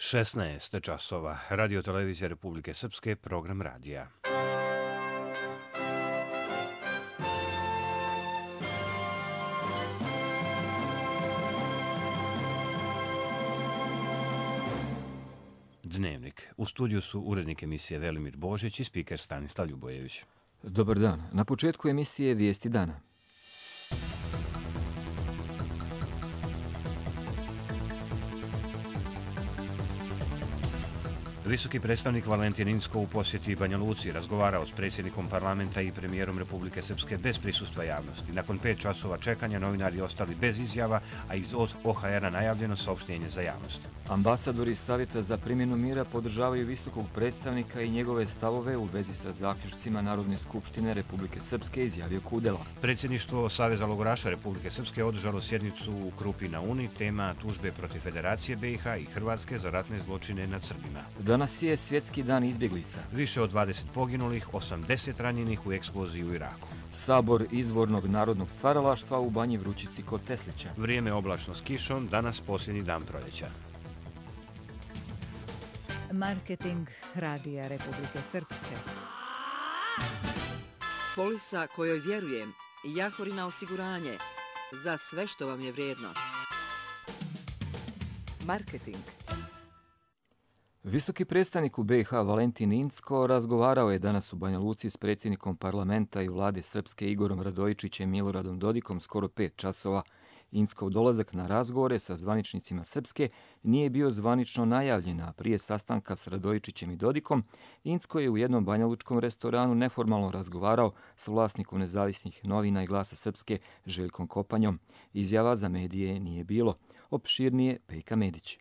16 časova. Radio televizija Republike Srpske, program radija. Dnevnik. U studiju su urednik emisije Velimir Božić i spiker Stanislav Ljubojević. Dobar dan. Na početku emisije Vijesti dana. Visoki predstavnik Valentin Incko u posjeti Banja Luci razgovarao s predsjednikom parlamenta i premijerom Republike Srpske bez prisustva javnosti. Nakon 5 časova čekanja novinari ostali bez izjava, a iz OHR-a najavljeno saopštenje za javnost. Ambasadori Savjeta za primjenu mira podržavaju visokog predstavnika i njegove stavove u vezi sa zaključcima Narodne skupštine Republike Srpske, izjavio Kudela. Predsjedništvo Saveza logoraša Republike Srpske održalo sjednicu u Krupi na Uni, tema tužbe protiv Federacije BiH i Hrvatske za ratne zločine nad Srbima. Danas je Svjetski dan izbjeglica. Više od 20 poginulih, 80 ranjenih u eksploziji u Iraku. Sabor izvornog narodnog stvaralaštva u Banji Vrućici kod Teslića. Vrijeme oblačno s kišom, danas posljednji dan proljeća. Marketing Radija Republike Srpske. Polisa kojoj vjerujem, Jahorina osiguranje, za sve što vam je vrijedno. Marketing. Visoki predstavnik u BiH Valentin Incko razgovarao je danas u Banja Luci s predsjednikom parlamenta i vlade Srpske Igorom Radojičićem i Miloradom Dodikom skoro 5 časova. Inckov dolazak na razgovore sa zvaničnicima Srpske nije bio zvanično najavljen, a prije sastanka s Radojičićem i Dodikom, Incko je u jednom banjalučkom restoranu neformalno razgovarao s vlasnikom Nezavisnih novina i Glasa Srpske Željkom Kopanjom. Izjava za medije nije bilo. Opširnije Pejka Medić.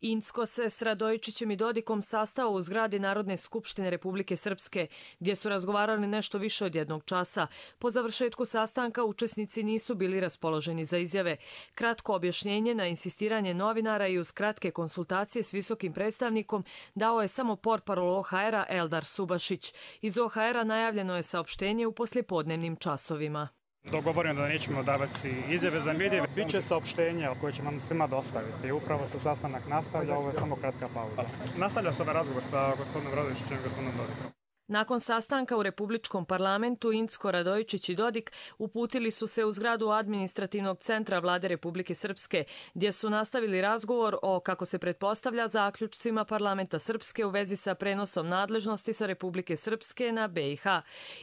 Incko se s Radojičićem i Dodikom sastao u zgradi Narodne skupštine Republike Srpske, gdje su razgovarali nešto više od 1 časa. Po završetku sastanka učesnici nisu bili raspoloženi za izjave. Kratko objašnjenje na insistiranje novinara i uz kratke konsultacije s visokim predstavnikom dao je samo portparol OHR-a Eldar Subašić. Iz OHR-a najavljeno je saopštenje u poslijepodnevnim časovima. Dogovoreno da nećemo davati izjave za medije. Biće saopštenja koje ćemo nam svima dostaviti. Upravo se sastanak nastavlja, ovo je samo kratka pauza. Nastavlja se ovaj razgovor sa gospodinom Radojičićem i gospodinom Dodikom. Nakon sastanka u Republičkom parlamentu, Incko, Radojičić i Dodik uputili su se u zgradu administrativnog centra vlade Republike Srpske, gdje su nastavili razgovor o, kako se pretpostavlja, zaključcima parlamenta Srpske u vezi sa prenosom nadležnosti sa Republike Srpske na BiH.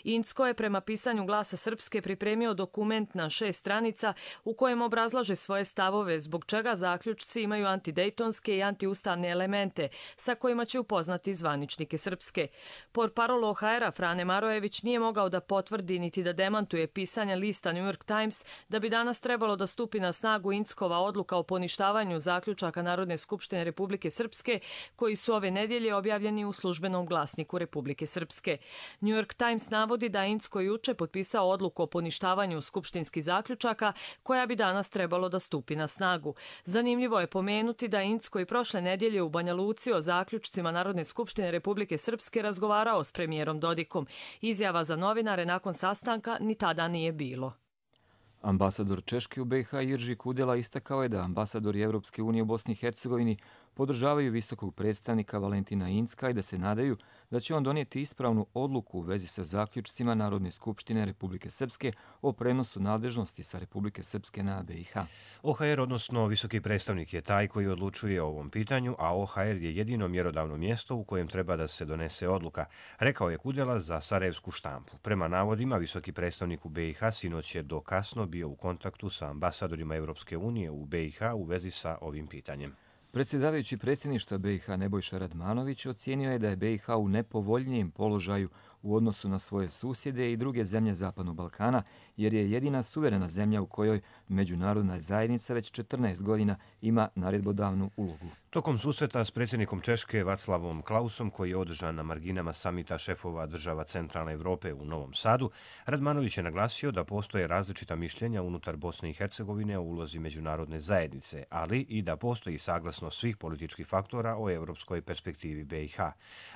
Incko je prema pisanju Glasa Srpske pripremio dokument na 6 stranica u kojem obrazlaže svoje stavove zbog čega zaključci imaju antidejtonske i antiustavne elemente sa kojima će upoznati zvaničnike Srpske. Portparol OHR-a Frane Marojević nije mogao da potvrdi niti da demantuje pisanja lista New York Times da bi danas trebalo da stupi na snagu Inckova odluka o poništavanju zaključaka Narodne skupštine Republike Srpske koji su ove nedjelje objavljeni u službenom glasniku Republike Srpske. New York Times navodi da Incko juče potpisao odluku o poništavanju skupštinskih zaključaka koja bi danas trebalo da stupi na snagu. Zanimljivo je pomenuti da Incko i prošle nedjelje u Banja Luci o zaključcima Narodne skupštine Republike Srpske razgovarao s premijerom Dodikom. Izjava za novinare nakon sastanka ni tada nije bilo. Ambasador Češke u BiH Jirži Kudela istakao je da ambasadori Evropske unije u Bosni i Hercegovini podržavaju visokog predstavnika Valentina Incka i da se nadaju da će on donijeti ispravnu odluku u vezi sa zaključcima Narodne skupštine Republike Srpske o prenosu nadležnosti sa Republike Srpske na BiH. OHR, odnosno visoki predstavnik, je taj koji odlučuje o ovom pitanju, a OHR je jedino mjerodavno mjesto u kojem treba da se donese odluka, rekao je Kudela za Sarajevsku štampu. Prema navodima, visoki predstavnik u BiH sinoć je do kasno bio u kontaktu sa ambasadorima Evropske unije u BiH u vezi sa ovim pitanjem. Predsjedavajući predsjedništva BiH Nebojša Radmanović ocijenio je da je BiH u nepovoljnijem položaju u odnosu na svoje susjede i druge zemlje Zapadnog Balkana, jer je jedina suverena zemlja u kojoj međunarodna zajednica već 14 godina ima naredbodavnu ulogu. Tokom susreta s predsjednikom Češke Vaclavom Klausom, koji je održan na marginama samita šefova država Centralne Evrope u Novom Sadu, Radmanović je naglasio da postoje različita mišljenja unutar Bosne i Hercegovine o ulozi međunarodne zajednice, ali i da postoji saglasnost svih političkih faktora o evropskoj perspektivi BiH.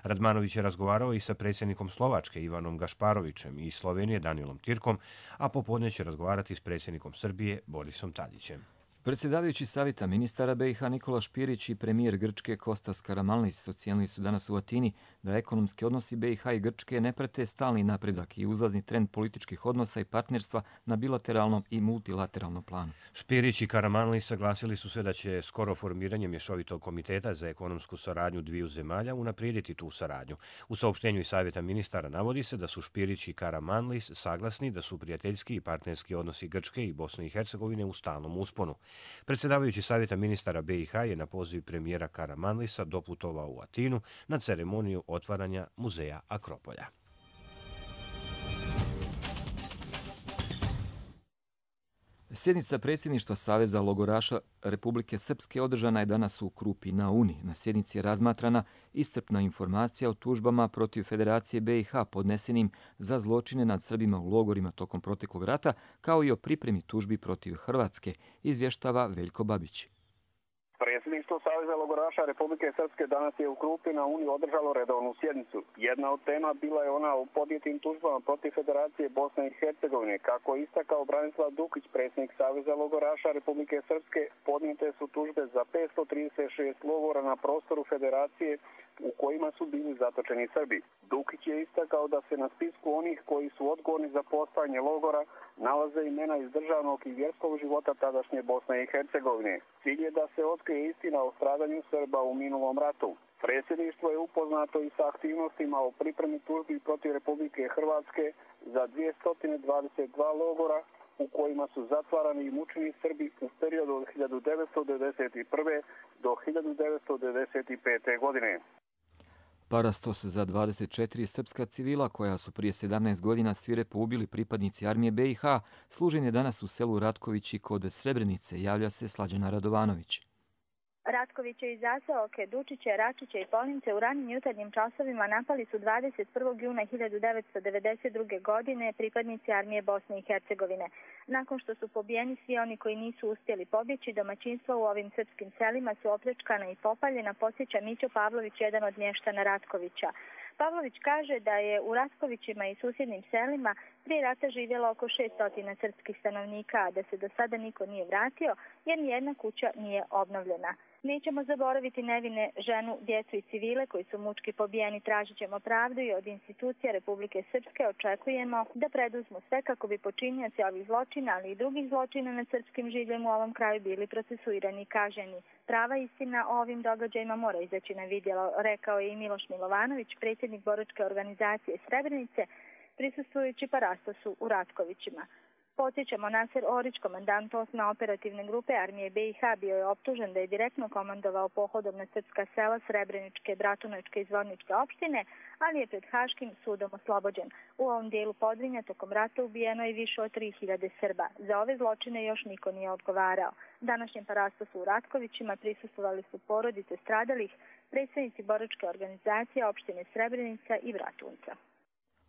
Radmanović je razgovarao i sa predsjednikom Slovačke Ivanom Gašparovićem i Slovenije Danielom Tirkom, a popodne će razgovarati s predsjednikom Srbije Borisom Tadićem. Predsjedavajući savjeta ministara BiH Nikola Špirić i premijer Grčke Kostas Karamanlis ocijenili su danas u Atini da ekonomski odnosi BiH i Grčke ne prate stalni napredak i uzlazni trend političkih odnosa i partnerstva na bilateralnom i multilateralnom planu. Špirić i Karamanlis saglasili su se da će skoro formiranje mješovitog komiteta za ekonomsku saradnju dviju zemalja unaprijediti tu saradnju. U saopštenju iz savjeta ministara navodi se da su Špirić i Karamanlis saglasni da su prijateljski i partnerski odnosi Grčke i Bosne i Hercegovine u stalnom usponu. Predsjedavajući savjeta ministara BiH je na poziv premijera Karamanlisa doputovao u Atinu na ceremoniju otvaranja muzeja Akropolja. Sjednica predsjedništva Saveza logoraša Republike Srpske održana je danas u Krupi na Uni. Na sjednici je razmatrana iscrpna informacija o tužbama protiv Federacije BiH podnesenim za zločine nad Srbima u logorima tokom proteklog rata, kao i o pripremi tužbi protiv Hrvatske, izvještava Veljko Babić. Predsjedništvo Saveza logoraša Republike Srpske danas je u Krupi na Uni održalo redovnu sjednicu. Jedna od tema bila je ona o podnijetim tužbama protiv Federacije Bosne i Hercegovine. Kako je istakao Branislav Dukić, predsjednik Saveza logoraša Republike Srpske, podnijete su tužbe za 536 logora na prostoru Federacije u kojima su bili zatočeni Srbi. Dukić je istakao da se na spisku onih koji su odgovorni za postojanje logora nalaze imena iz državnog i vjerskog života tadašnje Bosne i Hercegovine. Cilj je da se otkrije istina o stradanju Srba u minulom ratu. Predsjedništvo je upoznato i sa aktivnostima o pripremi tužbi protiv Republike Hrvatske za 222 logora u kojima su zatvarani i mučeni Srbi u periodu od 1991. do 1995. godine. Parastos za 24 srpska civila koja su prije 17 godina svirepo ubili pripadnici armije BiH služen je danas u selu Ratkovići kod Srebrenice, javlja se Slađana Radovanović. Ratkoviće i zaseoke Dučiće, Račiće i Polince u ranim jutarnjim časovima napali su 21. juna 1992. godine pripadnici armije Bosne i Hercegovine. Nakon što su pobijeni svi oni koji nisu uspjeli pobjeći, domaćinstva u ovim srpskim selima su opljačkana i popaljena, podsjeća Mićo Pavlović, jedan od mještana Ratkovića. Pavlović kaže da je u Ratkovićima i susjednim selima prije rata živjelo oko 600 srpskih stanovnika, a da se do sada niko nije vratio jer nijedna kuća nije obnovljena. Nećemo zaboraviti nevine ženu, djecu i civile koji su mučki pobijeni, tražit ćemo pravdu i od institucija Republike Srpske očekujemo da preduzmu sve kako bi počinioci ovih zločina, ali i drugih zločina nad srpskim življem u ovom kraju bili procesuirani i kažnjeni. Prava istina o ovim događajima mora izaći na vidjelo, rekao je i Miloš Milovanović, predsjednik boračke organizacije Srebrenice, prisustvujući parastosu u Ratkovićima. Podsjećamo, Naser Orić, komandant 8. operativne grupe armije BiH, bio je optužen da je direktno komandovao pohodom na srpska sela Srebreničke, Bratunačke i Zvorničke opštine, ali je pred Haškim sudom oslobođen. U ovom dijelu Podrinja tokom rata ubijeno je više od 3000 Srba. Za ove zločine još niko nije odgovarao. Današnjem parastosu u Ratkovićima prisustvovali su porodice stradalih, predstavnici boračke organizacije opštine Srebrenica i Bratunca.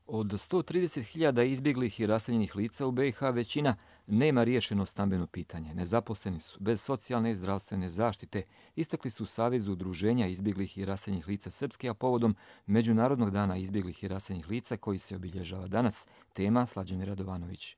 Od 130.000 izbjeglih i raseljenih lica u BiH većina nema riješeno stambeno pitanje. Nezaposleni su, bez socijalne i zdravstvene zaštite, istakli su u Savezu udruženja izbjeglih i raseljenih lica Srpske, a povodom Međunarodnog dana izbjeglih i raseljenih lica koji se obilježava danas, tema Slađane Radovanović.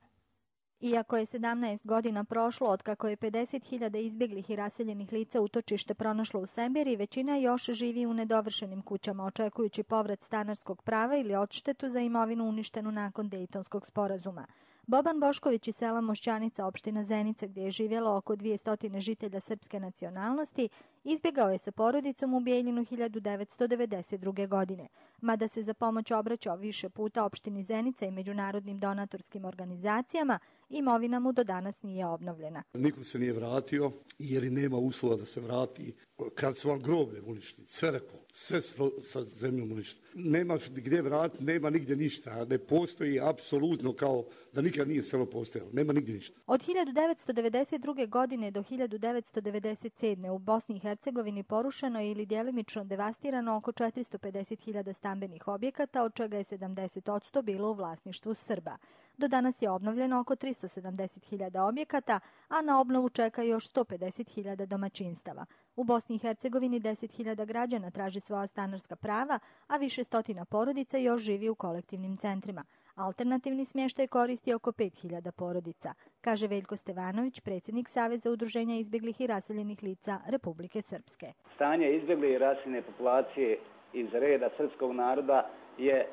Iako je 17 godina prošlo od kako je 50.000 izbjeglih i raseljenih lica utočište pronašlo u Sembiri, većina još živi u nedovršenim kućama, očekujući povrat stanarskog prava ili odštetu za imovinu uništenu nakon Dejtonskog sporazuma. Boban Bošković iz sela Mošćanica, opština Zenica, gdje je živjelo oko 200 žitelja srpske nacionalnosti, izbjegao je sa porodicom u Bijeljinu 1992. godine. Mada se za pomoć obraćao više puta opštini Zenica i međunarodnim donatorskim organizacijama, imovina mu do danas nije obnovljena. Niko se nije vratio jer i nema uslova da se vrati. Kad su vam groblje uništili, crkvu, sve sa zemljom uništili. Nema gdje vratiti, nema nigdje ništa. Ne postoji apsolutno kao da nikad nije selo postojalo. Nema nigdje ništa. Od 1992. godine do 1997. u Bosni i Hercegovini porušeno je ili djelimično devastirano oko 450.000 stambenih objekata, od čega je 70% bilo u vlasništvu Srba. Do danas je obnovljeno oko 370.000 objekata, a na obnovu čeka još 150.000 domaćinstava. U Bosni i Hercegovini 10.000 građana traži svoja stanarska prava, a više stotina porodica još živi u kolektivnim centrima. Alternativni smještaj koristi oko 5000 porodica, kaže Veljko Stevanović, predsjednik Saveza udruženja izbjeglih i raseljenih lica Republike Srpske. Stanje izbjegle i raseljene populacije iz reda srpskog naroda je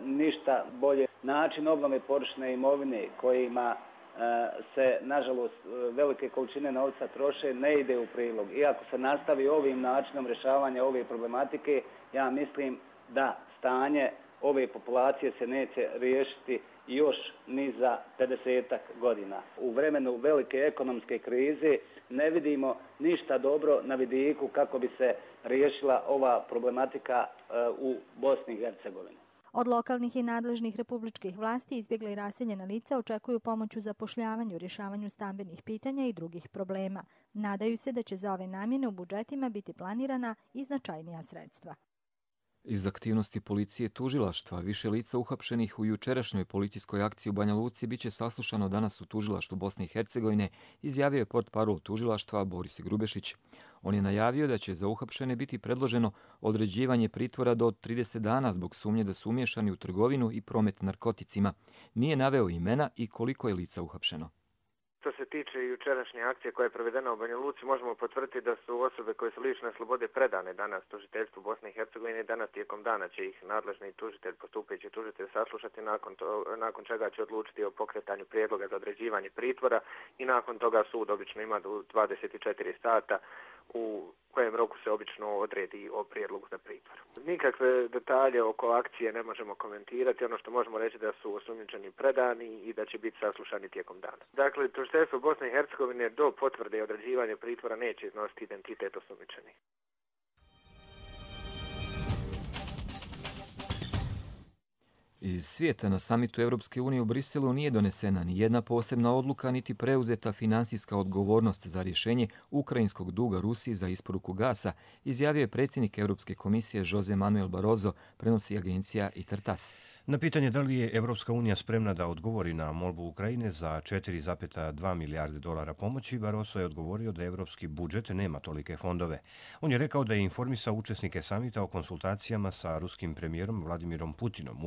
ništa bolje. Način obnove površine imovine kojima se, nažalost, velike količine novca troše ne ide u prilog. Iako se nastavi ovim načinom rješavanja ove problematike, ja mislim da stanje ove populacije se neće riješiti još ni za 50 godina. U vremenu velike ekonomske krize ne vidimo ništa dobro na vidiku kako bi se riješila ova problematika u Bosni i Hercegovini. Od lokalnih i nadležnih republičkih vlasti izbjegla i raseljena lica očekuju pomoć u zapošljavanju, rješavanju stambenih pitanja i drugih problema. Nadaju se da će za ove namjene u budžetima biti planirana i značajnija sredstva. Iz aktivnosti policije tužilaštva više lica uhapšenih u jučerašnjoj policijskoj akciji u Banja Luci biće saslušano danas u tužilaštvu Bosne i Hercegovine, izjavio je portparol tužilaštva Boris Grubešić. On je najavio da će za uhapšene biti predloženo određivanje pritvora do 30 dana zbog sumnje da su umiješani u trgovinu i promet narkoticima. Nije naveo imena i koliko je lica uhapšeno. Što se tiče jučerašnje akcije koja je provedena u Banja Luci, možemo potvrditi da su osobe koje su lišene slobode predane danas tužiteljstvu Bosne i Hercegovine. Danas tijekom dana će ih nadležni tužitelj, postupajući tužitelj, saslušati, nakon čega će odlučiti o pokretanju prijedloga za određivanje pritvora i nakon toga sud obično ima 24 sata u kojem roku se obično odredi o prijedlogu za pritvor. Nikakve detalje oko akcije ne možemo komentirati. Ono što možemo reći da su osumnjičeni predani i da će biti saslušani tijekom dana. Dakle, tužiteljstvo Bosne i Hercegovine do potvrde i određivanja pritvora neće iznositi identitet osumnjičenih. Iz svijeta na samitu Europske unije u Briselu nije donesena ni jedna posebna odluka niti preuzeta finansijska odgovornost za rješenje ukrajinskog duga Rusiji za isporuku gasa, izjavio je predsjednik Europske komisije Jose Manuel Barroso, prenosi agencija ITAR-TASS. Na pitanje da li je Europska unija spremna da odgovori na molbu Ukrajine za 4,2 milijarde dolara pomoći, Barroso je odgovorio da europski budžet nema tolike fondove. On je rekao da je informisao učesnike samita o konsultacijama sa ruskim premijerom Vladimirom Putinom,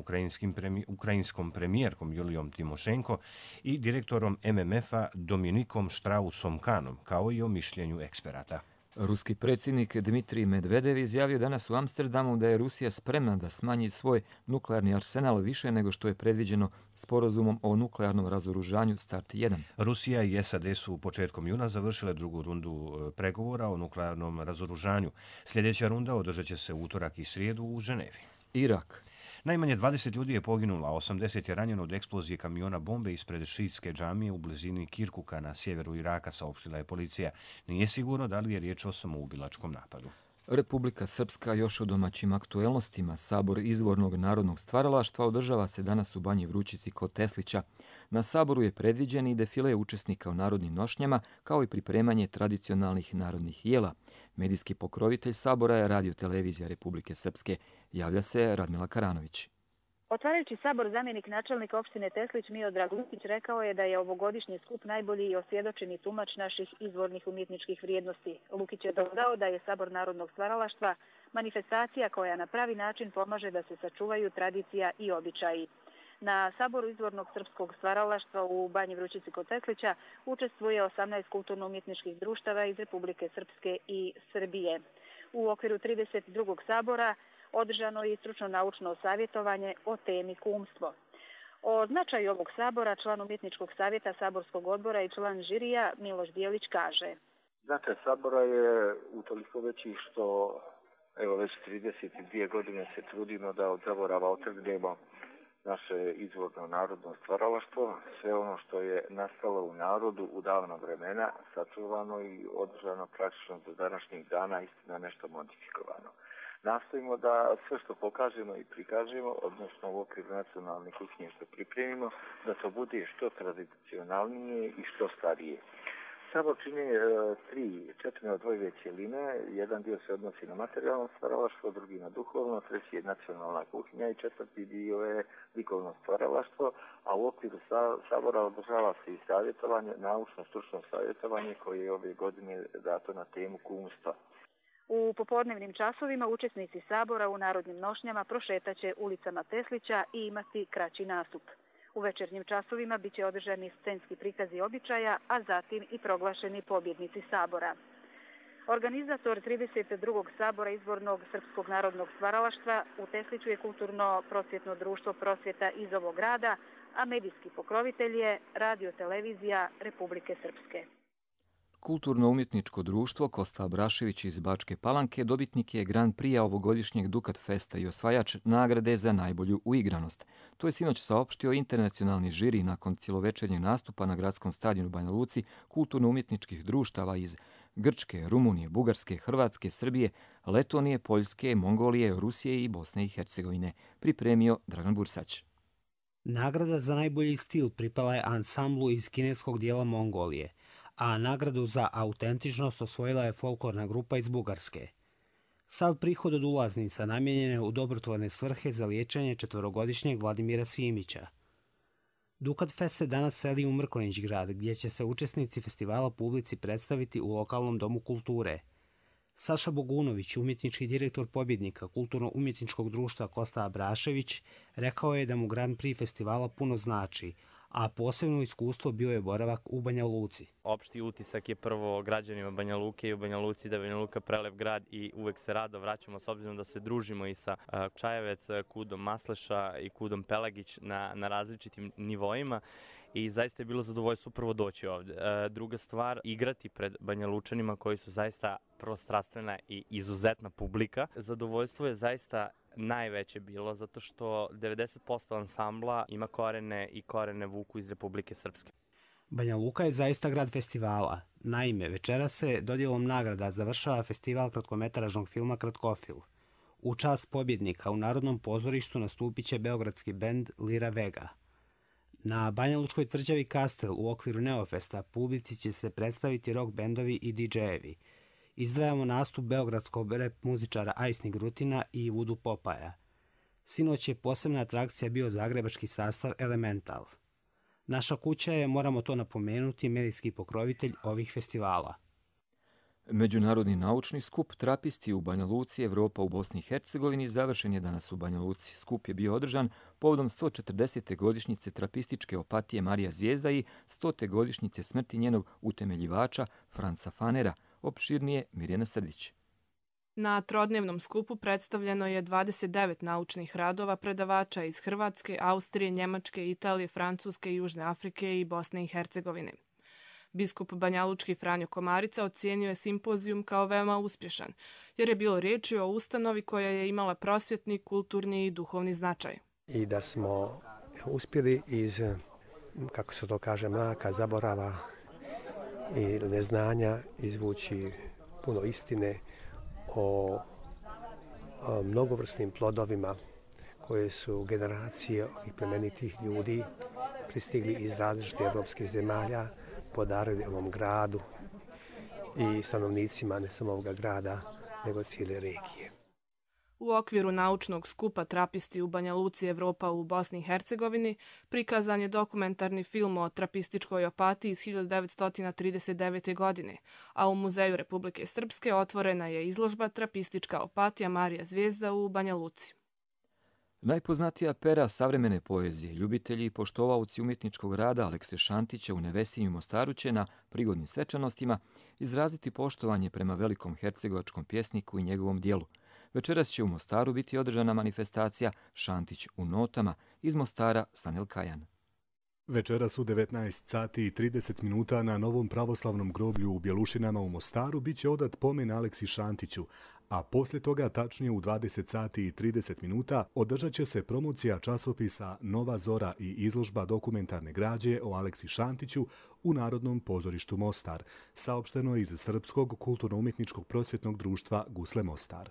ukrajinskom premijerkom Julijom Timošenko i direktorom MMF-a Dominikom Strausom-Kahnom, kao i o mišljenju eksperata. Ruski predsjednik Dmitrij Medvedev izjavio danas u Amsterdamu da je Rusija spremna da smanji svoj nuklearni arsenal više nego što je predviđeno sporazumom o nuklearnom razoružanju START 1. Rusija i SAD su početkom juna završile drugu rundu pregovora o nuklearnom razoružanju. Sljedeća runda održat će se utorak i srijedu u Ženevi. Irak. Najmanje 20 ljudi je poginulo, a 80 je ranjeno od eksplozije kamiona bombe ispred šiitske džamije u blizini Kirkuka na sjeveru Iraka, saopštila je policija. Nije sigurno da li je riječ o samoubilačkom napadu. Republika Srpska još o domaćim aktuelnostima. Sabor izvornog narodnog stvaralaštva održava se danas u Banji Vrućici kod Teslića. Na saboru je predviđen i defile učesnika u narodnim nošnjama, kao i pripremanje tradicionalnih narodnih jela. Medijski pokrovitelj sabora je Radio-televizija Republike Srpske. Javlja se Radmila Karanović. Otvarajući sabor, zamjenik načelnika opštine Teslić Miodrag Lukić rekao je da je ovogodišnji skup najbolji i osvjedočeni tumač naših izvornih umjetničkih vrijednosti. Lukić je dodao da je sabor narodnog stvaralaštva manifestacija koja na pravi način pomaže da se sačuvaju tradicija i običaji. Na saboru izvornog srpskog stvaralaštva u Banji Vrućici kod Teslića učestvuje 18 kulturno-umjetničkih društava iz Republike Srpske i Srbije. U okviru 32. sabora održano je i stručno-naučno savjetovanje o temi kumstvo. O značaju ovog sabora član umjetničkog savjeta saborskog odbora i član žirija Miloš Bijelić kaže. Značaj sabora je utoliko veći što evo već 32 godine se trudimo da od zaborava otrgnemo naše izvorno narodno stvaralaštvo, sve ono što je nastalo u narodu u davna vremena, sačuvano i održano praktično do današnjih dana, istina nešto modifikovano. Nastojimo da sve što pokažemo i prikažemo, odnosno u okviru nacionalne kuhinje što pripremimo, da to bude što tradicionalnije i što starije. Sabor čini 4 odvojive cjeline, jedan dio se odnosi na materijalno stvaralaštvo, drugi na duhovno, treći je nacionalna kuhinja i četvrti dio je likovno stvaralaštvo, a u okviru sabora održava se i savjetovanje, naučno-stručno savjetovanje koje je ove godine dato na temu kumstva. U popodnevnim časovima učesnici sabora u narodnim nošnjama prošetaće ulicama Teslića i imati kraći nastup. U večernjim časovima biće održani scenski prikazi običaja, a zatim i proglašeni pobjednici sabora. Organizator 32. sabora izbornog Srpskog narodnog stvaralaštva u Tesliću je Kulturno-prosvjetno društvo prosvjeta iz ovog grada, a medijski pokrovitelj je Radio-televizija Republike Srpske. Kulturno-umjetničko društvo Kosta Abrašević iz Bačke Palanke dobitnik je Grand Prix ovogodišnjeg Dukat Festa i osvajač nagrade za najbolju uigranost. To je sinoć saopštio internacionalni žiri nakon cijelovečernjeg nastupa na gradskom stadionu Banja Luci kulturno-umjetničkih društava iz Grčke, Rumunije, Bugarske, Hrvatske, Srbije, Letonije, Poljske, Mongolije, Rusije i Bosne i Hercegovine. Pripremio Dragan Bursać. Nagrada za najbolji stil pripala je ansamblu iz kineskog dijela Mongolije, a nagradu za autentičnost osvojila je folklorna grupa iz Bugarske. Sav prihod od ulaznica namijenjen je u dobrotvorne svrhe za liječenje 4-godišnjeg Vladimira Simića. Dukat Fest se danas seli u Mrkonjić grad, gdje će se učesnici festivala publici predstaviti u lokalnom domu kulture. Saša Bogunović, umjetnički direktor pobjednika Kulturno-umjetničkog društva Kosta Abrašević, rekao je da mu Grand Prix festivala puno znači, a posebno iskustvo bio je boravak u Banja Luci. Opšti utisak je prvo građanima Banja Luke i u Banja Luci da je Banja Luka prelep grad i uvek se rado vraćamo s obzirom da se družimo i sa Čajevec, Kudom Masleša i Kudom Pelagić na različitim nivoima. I zaista je bilo zadovoljstvo prvo doći ovdje. Druga stvar, igrati pred Banja Lučanima koji su zaista prvo strastvena i izuzetna publika. Zadovoljstvo je zaista najveće bilo zato što 90% ansambla ima korene i korene vuku iz Republike Srpske. Banja Luka je zaista grad festivala. Naime, večeras se dodjelom nagrada završava festival kratkometražnog filma Kratkofil. U čast pobjednika u Narodnom pozorištu nastupit će beogradski bend Lira Vega. Na Banja Lučkoj tvrđavi Kastel u okviru Neofesta publici će se predstaviti rock bendovi i DJ-evi. Izdvajamo nastup beogradskog rap muzičara Ajsni Grutina i Vudu Popaja. Sinoć je posebna atrakcija bio zagrebački sastav Elemental. Naša kuća je, moramo to napomenuti, medijski pokrovitelj ovih festivala. Međunarodni naučni skup Trapisti u Banja Luci, Evropa u Bosni i Hercegovini završen je danas u Banja Luci. Skup je bio održan povodom 140. godišnjice trapističke opatije Marija Zvijezda i 100. godišnjice smrti njenog utemeljivača Franca Fanera. Opširnije Mirjana Srdić. Na trodnevnom skupu predstavljeno je 29 naučnih radova predavača iz Hrvatske, Austrije, Njemačke, Italije, Francuske, Južne Afrike i Bosne i Hercegovine. Biskup banjalučki Franjo Komarica ocijenio je simpozijum kao veoma uspješan, jer je bilo riječi o ustanovi koja je imala prosvjetni, kulturni i duhovni značaj. I da smo uspjeli iz, kako se to kaže, mraka, zaborava i neznanja izvući puno istine o mnogovrsnim plodovima koje su generacije ovih plemenitih ljudi pristigli iz različitih evropskih zemalja, podarili ovom gradu i stanovnicima ne samo ovoga grada, nego cijele regije. U okviru naučnog skupa Trapisti u Banja Luci, Evropa u Bosni i Hercegovini prikazan je dokumentarni film o trapističkoj opatiji iz 1939. godine, a u Muzeju Republike Srpske otvorena je izložba Trapistička opatija Marija Zvijezda u Banja Luci. Najpoznatija pera savremene poezije, ljubitelji i poštovaoci umjetničkog rada Alekse Šantića u Nevesinju Mostaru će na prigodnim svečanostima izraziti poštovanje prema velikom hercegovačkom pjesniku i njegovom dijelu. Večeras će u Mostaru biti održana manifestacija Šantić u notama iz Mostara Sanel Kajan. Večeras u 19:30 na Novom pravoslavnom groblju u Bjelušinama u Mostaru bit će odat pomen Aleksi Šantiću, a poslije toga, tačnije u 20:30, održat će se promocija časopisa Nova Zora i izložba dokumentarne građe o Aleksi Šantiću u Narodnom pozorištu Mostar, saopšteno iz Srpskog kulturno-umjetničkog prosvjetnog društva Gusle Mostar.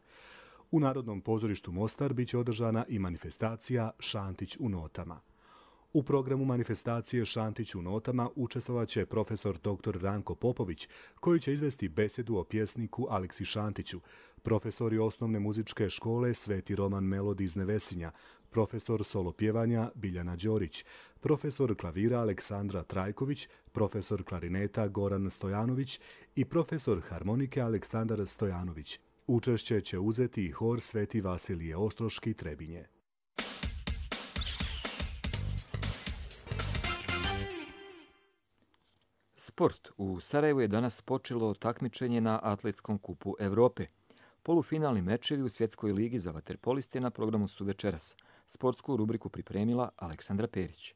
U Narodnom pozorištu Mostar bit će održana i manifestacija Šantić u notama. U programu manifestacije Šantić u notama učestvovaće profesor dr. Ranko Popović, koji će izvesti besedu o pjesniku Aleksi Šantiću, profesori osnovne muzičke škole Sveti Roman Melodi iz Nevesinja, profesor solo pjevanja Biljana Đorić, profesor klavira Aleksandra Trajković, profesor klarineta Goran Stojanović i profesor harmonike Aleksandar Stojanović. Učešće će uzeti i hor Sveti Vasilije Ostroški Trebinje. Sport. U Sarajevu je danas počelo takmičenje na Atletskom kupu Evrope. Polufinalni mečevi u Svjetskoj ligi za vaterpoliste na programu su večeras. Sportsku rubriku pripremila Aleksandra Perić.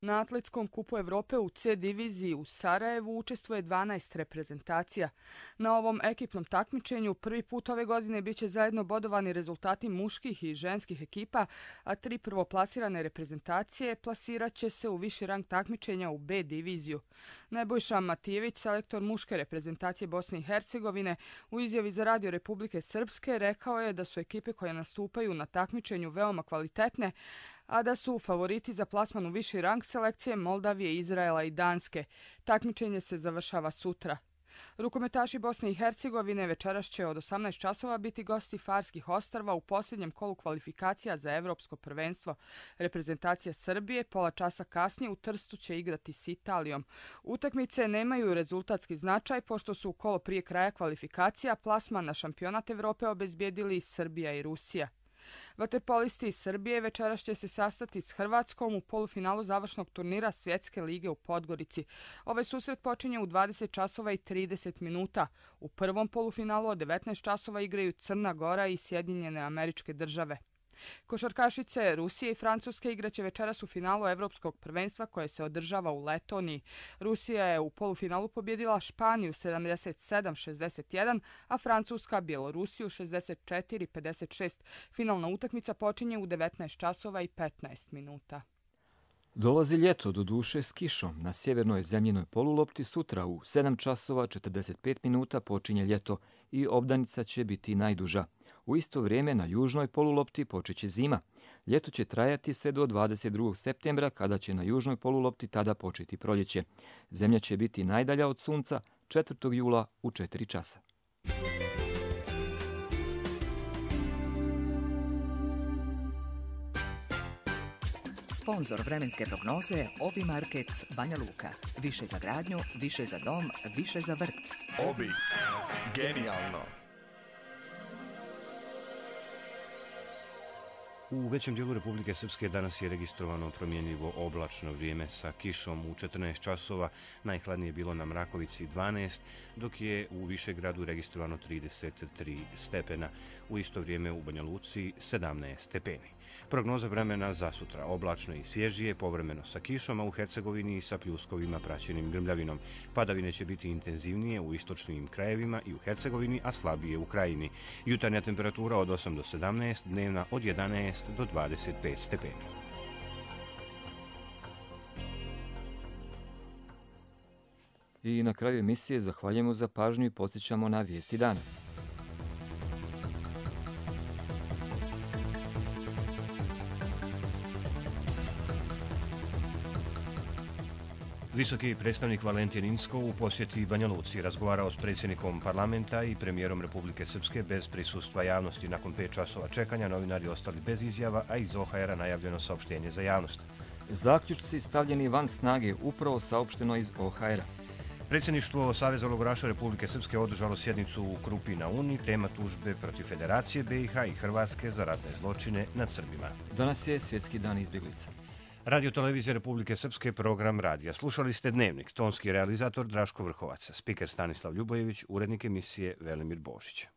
Na Atletskom kupu Evrope u C diviziji u Sarajevu učestvuje 12 reprezentacija. Na ovom ekipnom takmičenju prvi put ove godine biće zajedno bodovani rezultati muških i ženskih ekipa, a 3 prvoplasirane reprezentacije plasirat će se u viši rang takmičenja u B diviziju. Nebojša Matijević, selektor muške reprezentacije Bosne i Hercegovine, u izjavi za Radio Republike Srpske rekao je da su ekipe koje nastupaju na takmičenju veoma kvalitetne, a da su favoriti za plasman u viši rang selekcije Moldavije, Izraela i Danske. Takmičenje se završava sutra. Rukometaši Bosne i Hercegovine večeras će od 18 časova biti gosti Farskih ostrva u posljednjem kolu kvalifikacija za Evropsko prvenstvo. Reprezentacija Srbije pola časa kasnije u Trstu će igrati s Italijom. Utakmice nemaju rezultatski značaj pošto su u kolo prije kraja kvalifikacija plasman na šampionat Evrope obezbijedili Srbija i Rusija. Vaterpolisti iz Srbije večeras će se sastati s Hrvatskom u polufinalu završnog turnira Svjetske lige u Podgorici. Ovaj susret počinje u 20 časova i 30 minuta. U prvom polufinalu od 19 časova igraju Crna Gora i Sjedinjene Američke Države. Košarkašice Rusije i Francuske igraće večeras u finalu Evropskog prvenstva koje se održava u Letoniji. Rusija je u polufinalu pobjedila Španiju 77-61, a Francuska Bjelorusiju 64-56. Finalna utakmica počinje u 19 časova i 15 minuta. Dolazi ljeto, doduše s kišom. Na sjevernoj zemljinoj polulopti sutra u 7 časova 45 minuta počinje ljeto i obdanica će biti najduža. U isto vrijeme na južnoj polulopti počeće zima. Ljeto će trajati sve do 22. septembra kada će na južnoj polulopti tada početi proljeće. Zemlja će biti najdalja od sunca 4. jula u 4 časa. Sponzor vremenske prognoze Obi Market Banja Luka. Više za gradnju, više za dom, više za vrt. Obi. Genijalno. U većem dijelu Republike Srpske danas je registrovano promjenljivo oblačno vrijeme sa kišom u 14 časova. Najhladnije je bilo na Mrakovici 12, dok je u Višegradu registrovano 33 stepena. U isto vrijeme u Banja Luci 17 stepeni. Prognoza vremena za sutra oblačno i svježije, povremeno sa kišom, a u Hercegovini sa pljuskovima praćenim grmljavinom. Padavine će biti intenzivnije u istočnim krajevima i u Hercegovini, a slabije u krajini. Jutarnja temperatura od 8 do 17, dnevna od 11 do 25 stepeni. I na kraju emisije zahvaljujemo za pažnju i podsjećamo na vijesti dana. Visoki predstavnik Valentin Incko u posjeti Banja Luci razgovarao s predsjednikom parlamenta i premijerom Republike Srpske bez prisustva javnosti. Nakon 5 časova čekanja novinari ostali bez izjava, a iz OHR-a najavljeno saopštenje za javnost. Zaključci stavljeni van snage upravo saopšteno iz OHR-a. Predsjedništvo Saveza logoraša Republike Srpske održalo sjednicu u Krupi na Uni, tema tužbe protiv Federacije BiH i Hrvatske za ratne zločine nad Srbima. Danas je Svjetski dan izbjeglica. Radio Televizija Republike Srpske, program radija. Slušali ste Dnevnik, tonski realizator Draško Vrhovac, spiker Stanislav Ljubojević, urednik emisije Velimir Božić.